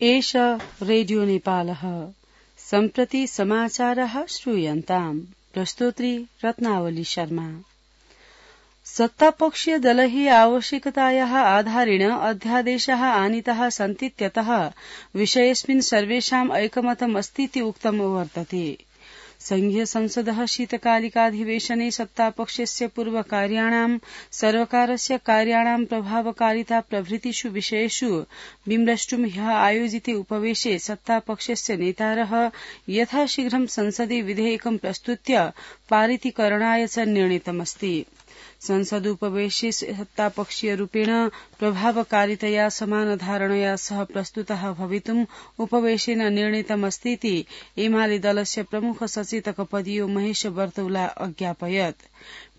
एष रेडियो नेपालः सम्प्रति समाचारः श्रूयन्ताम्। प्रस्तोत्री रत्नावली शर्मा। सत्तापक्षीय दलैः आवश्यकतायाः आधारेण अध्यादेशाः आनीताः सन्तीत्यतः विषयेऽस्मिन् सर्वेषाम् ऐकमतम् अस्तीति उक्तम् वर्तते। संघीय संसदः शीतकालिकाधिवेशने सत्तापक्षस्य पूर्वकार्याणां सर्वकारस्य कार्याणां प्रभावकारिता प्रभृतिषु विषयेषु विमृष्टुं ह्यः आयोजिते उपवेशे सत्तापक्षस्य नेतारः यथाशीघ्रं संसदि विधेयकं प्रस्तुत्य पारितीकरणाय च निर्णीतमस्ति। संसदुपवेशे सत्तापक्षीयरूपेण प्रभावकारितया समानधारणया सह प्रस्तुतः भवितुम् उपवेशेन निर्णीतमस्तीति एमाले दलस्य प्रमुख सचेतकपदीयो महेश बर्तौला अज्ञापयत्।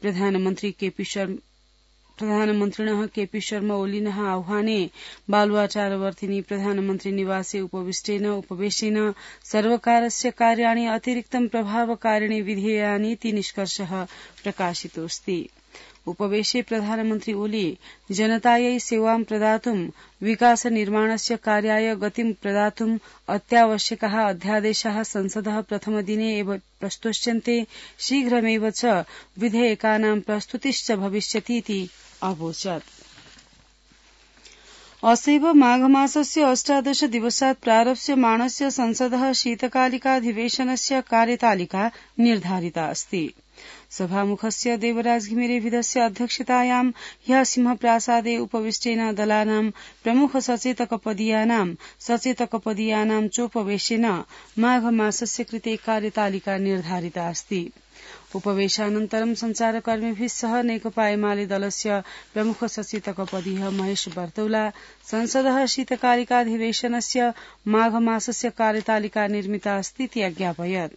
प्रधानमन्त्रिणः केपी शर्मा ओलीनः आह्वाने बालुवाटारवर्तिनी प्रधानमन्त्री निवासे उपवेशेन सर्वकारस्य कार्याणि अतिरिक्तं प्रभावकारिणि विधेयानीति निष्कर्षः प्रकाशितोऽस्ति। उपवेशे प्रधानमन्त्री ओली जनतायै सेवां प्रदातुं विकास निर्माणस्य कार्याय गतिं प्रदातुं अत्यावश्यकाः अध्यादेशाः संसदः प्रथमदिने एव प्रस्तोष्यन्ते, शीघ्रमेव च विधेयकानां प्रस्तुतिश्च भविष्यतीति अवोचत्। असैव माघमासस्य 18 दिवसात् प्रारप्स्यमाणस्य संसदः शीतकालिकाधिवेशनस्य कार्यतालिका निर्धारिता अस्ति। सभामुखस्य देवराज घिमिरेभिदस्य अध्यक्षतायां ह्यः सिंहप्रासादे उपविष्टेन दलानां प्रमुख सचेतकपदीयानां चोपवेशेन माघमासस्य कृते कार्यतालिका निर्धारिता अस्ति। उपवेशानन्तरं संचारकर्मिभिः सह नेकपा एमाले दलस्य प्रमुख सचेतकपदीयः महेश बर्तौला संसदः शीतकालिकाधिवेशनस्य माघमासस्य कार्यतालिका निर्मिता अस्तीति अज्ञापयत्।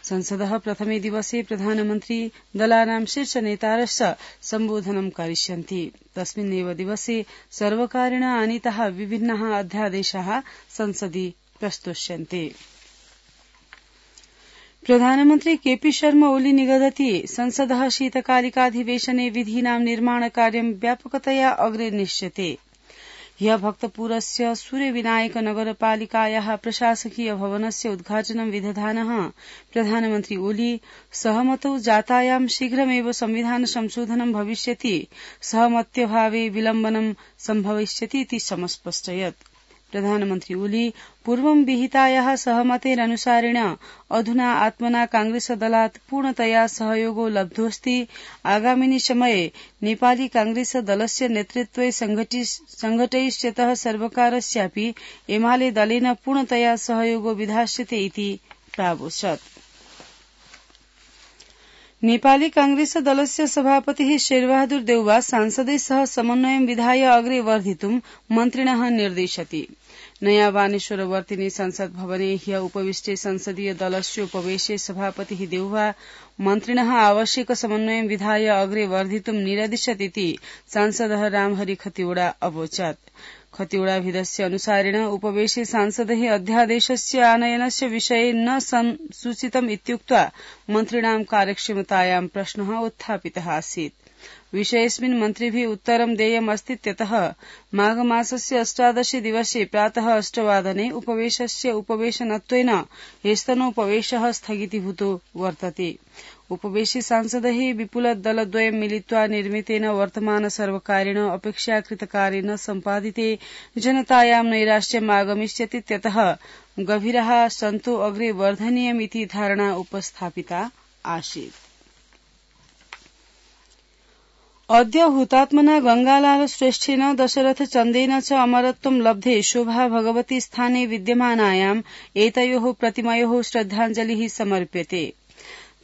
संसदः प्रथमे दिवसे प्रधानमन्त्री दलानां शीर्षनेतारश्च सम्बोधनं करिष्यन्ति। तस्मिन्नेव दिवसे सर्वकारेण आनीताः विभिन्नाः अध्यादेशाः संसदि प्रस्तोष्यन्ते। प्रधानमन्त्री केपी शर्मा ओली निगदति संसदः शीतकालिकाधिवेशने विधीनां निर्माणकार्यं व्यापकतया अग्रे निश्चिते। ह्यः भक्तपुरस्य सूर्यविनायक नगरपालिकायाः प्रशासकीय भवनस्य उद्घाटनं विदधानः प्रधानमन्त्री ओली सहमतौ जातायां शीघ्रमेव संविधान संशोधनं भविष्यति, सहमत्यभावे विलम्बनं सम्भविष्यतीति समस्पष्टयत्। प्रधानमन्त्री ओली पूर्वं विहितायाः सहमतेरनुसारेण अधुना आत्मना कांग्रेसदलात् पूर्णतया सहयोगो लब्धोऽस्ति। आगामिनि समये नेपाली कांग्रेसदलस्य नेतृत्वे संघटयिष्यतः सर्वकारस्यापि एमाले दलेन पूर्णतया सहयोगो विधास्यते इति प्रावोचत्। नेपाली कांग्रेस दलस्य सभापतिः शेरबहादुर देउवा सांसदै सह समन्वयं विधाय अग्रे वर्धितुं मन्त्रिणः निर्दिशति। नया बानेश्वरवर्तिनी संसद भवने ह्यः उपविष्टे संसदीय दलस्योपवेशे सभापतिः देउवा मन्त्रिणः आवश्यक समन्वयं विधाय अग्रे वर्धितुं निरदिशत् इति सांसदः रामहरि खतिवड़ा अवोचत्। खतिवड़ाभिदस्य अनुसारेण उपवेशे सांसदैः अध्यादेशस्य आनयनस्य विषये न सूचितम् इत्युक्त्वा मन्त्रिणां कार्यक्षमतायां प्रश्नः उत्थापितः आसीत्। विषयेऽस्मिन् मन्त्रिभिः उत्तरं देयम् अस्तीत्यतः माघमासस्य 18 दिवसे प्रातः 8 वादने उपवेशस्य उपवेशनत्वेन ह्यस्तनोपवेशः स्थगितीभूतो वर्तते। उपवेशे सांसदैः विपुलदलद्वयं मिलित्वा निर्मितेन वर्तमान सर्वकारेण अपेक्षाकृतकार्येण सम्पादिते जनतायां नैराश्यम् आगमिष्यतीत्यतः गभीरः सन्तो अग्रे वर्धनीयमिति धारणा उपस्थापिता आसीत्। अद्य हुतात्मना गंगालाल श्रेष्ठेन दशरथ चन्देन च अमरत्वं लब्धे शोभा भगवती स्थाने विद्यमानायाम् एतयोः प्रतिमयोः श्रद्धाञ्जलिः समर्प्यते।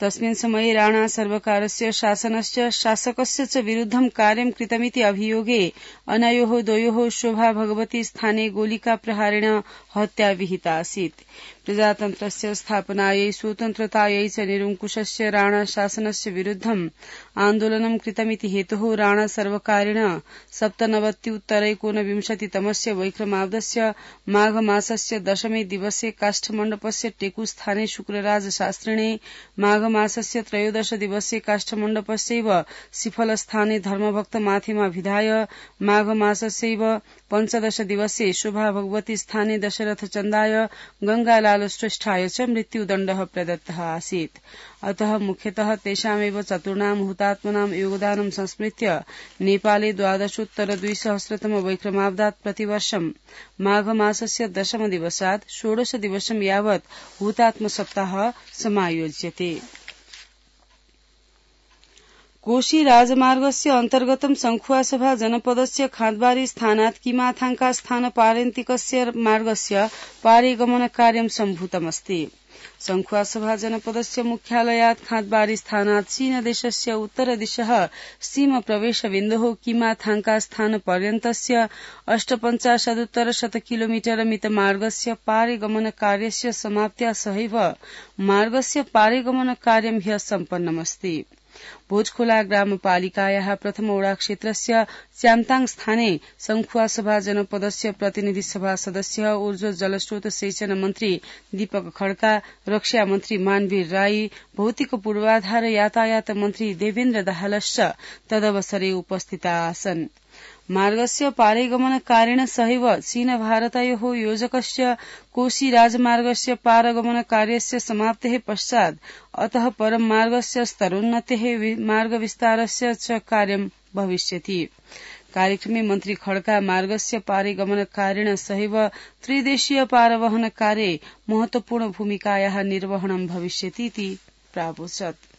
तस्मिन् समये राणा सर्वकारस्य शासकस्य च विरुद्धं कार्यं कृतमिति अभियोगे अनयोः द्वयोः शोभा भगवती स्थाने गोलिका प्रहारेण हत्या विहिता आसीत्। प्रजातन्त्रस्य स्थापनायै स्वतन्त्रतायै च निरङ्कुशस्य राणा शासनस्य विरुद्धं आन्दोलनं कृतमिति हेतोः राणा सर्वकारेण 97-उत्तर-19 वैक्रमाब्दस्य माघमासस्य 10 दिवसे काष्ठमण्डपस्य टेकुस्थाने शुक्रराज शास्त्रिणे, माघमासस्य 13 दिवसे काष्ठमण्डपस्यैव सिफलस्थाने धर्मभक्त माथेमा विधाय, माघमासस्यैव 15 दिवसे शोभा भगवती स्थाने दशरथ चन्दाय गंगालाल श्रेष्ठाय च मृत्युदण्डः प्रदत्तः आसीत्। अतः मुख्यतः तेषामेव चतुर्णां हुतात्मनां योगदानं संस्मृत्य नेपाले 12,200 वैक्रमाब्दात् प्रतिवर्षं माघमासस्य 10 दिवसात् 16 दिवसं यावत् हुतात्म सप्ताह समायोज्यते। कोशी राजमार्गस्य अन्तर्गतं संखुवासभा जनपदस्य खाँदबारी स्थानात् किमाथांका स्थान पारन्तिकस्य मार्गस्य पारिगमन कार्यं सम्भूतमस्ति। संखुवासभा जनपदस्य मुख्यालयात् खाँदबारी स्थानात् चीनदेशस्य उत्तरदिशः सीम प्रवेशबिन्दुः किमाथांका स्थान पर्यन्तस्य 58 किलोमीटर मित मार्गस्य पारिगमन कार्यस्य समाप्त्या सहैव मार्गस्य पारिगमन कार्यं ह्यः सम्पन्नमस्ति। भोजखोला ग्रामपालिकायाः प्रथमवडा क्षेत्रस्य च्याम्ताङ स्थाने संखुवासभा जनपदस्य प्रतिनिधि सभा सदस्य ऊर्जा जलस्रोत सिंचन मन्त्री दीपक खड्का, रक्षा मन्त्री मानवीर राई, भौतिक पूर्वाधार यातायात मन्त्री देवेन्द्र दाहालश्च तदवसरे उपस्थिता आसन्। मार्गस्य पारिगमन कार्येण सहैव चीन भारतयोः योजकस्य कोशी राजमार्गस्य पारगमन कार्यस्य समाप्तेः पश्चात् अतः परं मार्गस्य स्तरोन्नतेः मार्गविस्तारस्य च कार्यं भविष्यति। कार्यक्रमे मन्त्री खड्का मार्गस्य पारिगमन कार्येण सहैव त्रिदेशीय पारवहन कार्ये महत्वपूर्ण भूमिकायाः निर्वहणं भविष्यति इति प्रावोचत्।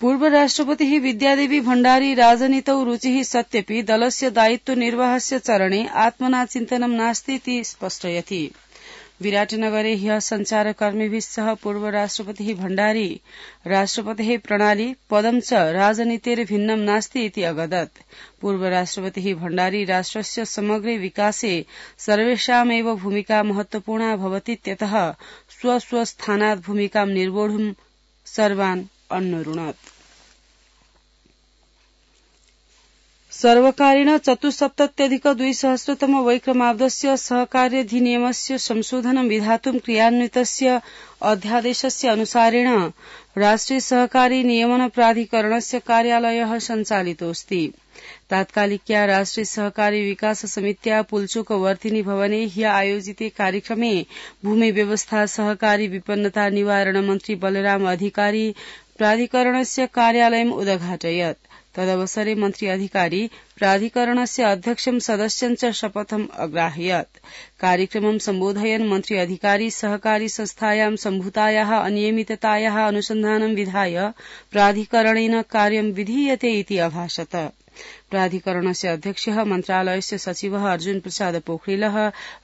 पूर्व राष्ट्रपतिः विद्यादेवी भण्डारी राजनीतौ रुचिः सत्यपि दलस्य दायित्व निर्वाहस्य चरणे आत्मना चिन्तनं नास्ति इति स्पष्टयति। विराटनगरे ह्यः सञ्चारकर्मिभिः सह पूर्व राष्ट्रपतिः भण्डारी राष्ट्रपतेः प्रणाली पदं च राजनीतेर्भिन्नं नास्ति इति अवदत्। पूर्व राष्ट्रपतिः भण्डारी राष्ट्रस्य समग्रे विकासे सर्वेषामेव भूमिका महत्वपूर्णा भवतीत्यतः स्वस्थानात् भूमिकां निर्वोढुं सर्वान् अन्नरुणत्। सर्वकारेण 74,200 वैक्रमाब्दस्य सहकार्यधिनियमस्य संशोधनं विधातुं क्रियान्वितस्य अध्यादेशस्य अनुसारेण राष्ट्रिय सहकारी नियमन प्राधिकरणस्य कार्यालयः सञ्चालितोऽस्ति। तात्कालिक्या राष्ट्रिय सहकारी विकास समित्या पुल्चोक वर्तिनी भवने ह्य आयोजिते कार्यक्रमे भूमि व्यवस्था सहकारी विपन्नता निवारण मन्त्री बलराम अधिकारी प्राधिकरणस्य कार्यालयम् उद्घाटयत्। तदवसरे मन्त्री अधिकारी प्राधिकरणस्य अध्यक्षं सदस्यं च शपथम् अग्राहयत्। कार्यक्रमं सम्बोधयन् मन्त्री अधिकारी सहकारी संस्थायां सम्भूतायाः अनियमिततायाः अनुसन्धानं विधाय प्राधिकरणेन कार्यं विधीयते इति अभाषत। प्राधिकरणस्य अध्यक्षः मन्त्रालयस्य सचिवः अर्जुन प्रसाद पोखरेलः,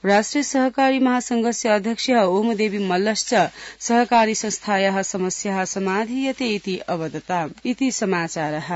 राष्ट्रिय सहकारी महासंघस्य अध्यक्षः ओमदेवी मल्लश्च सहकारी संस्थायाः समस्याः समाधीयते इति अवदताम् इति समाचारः।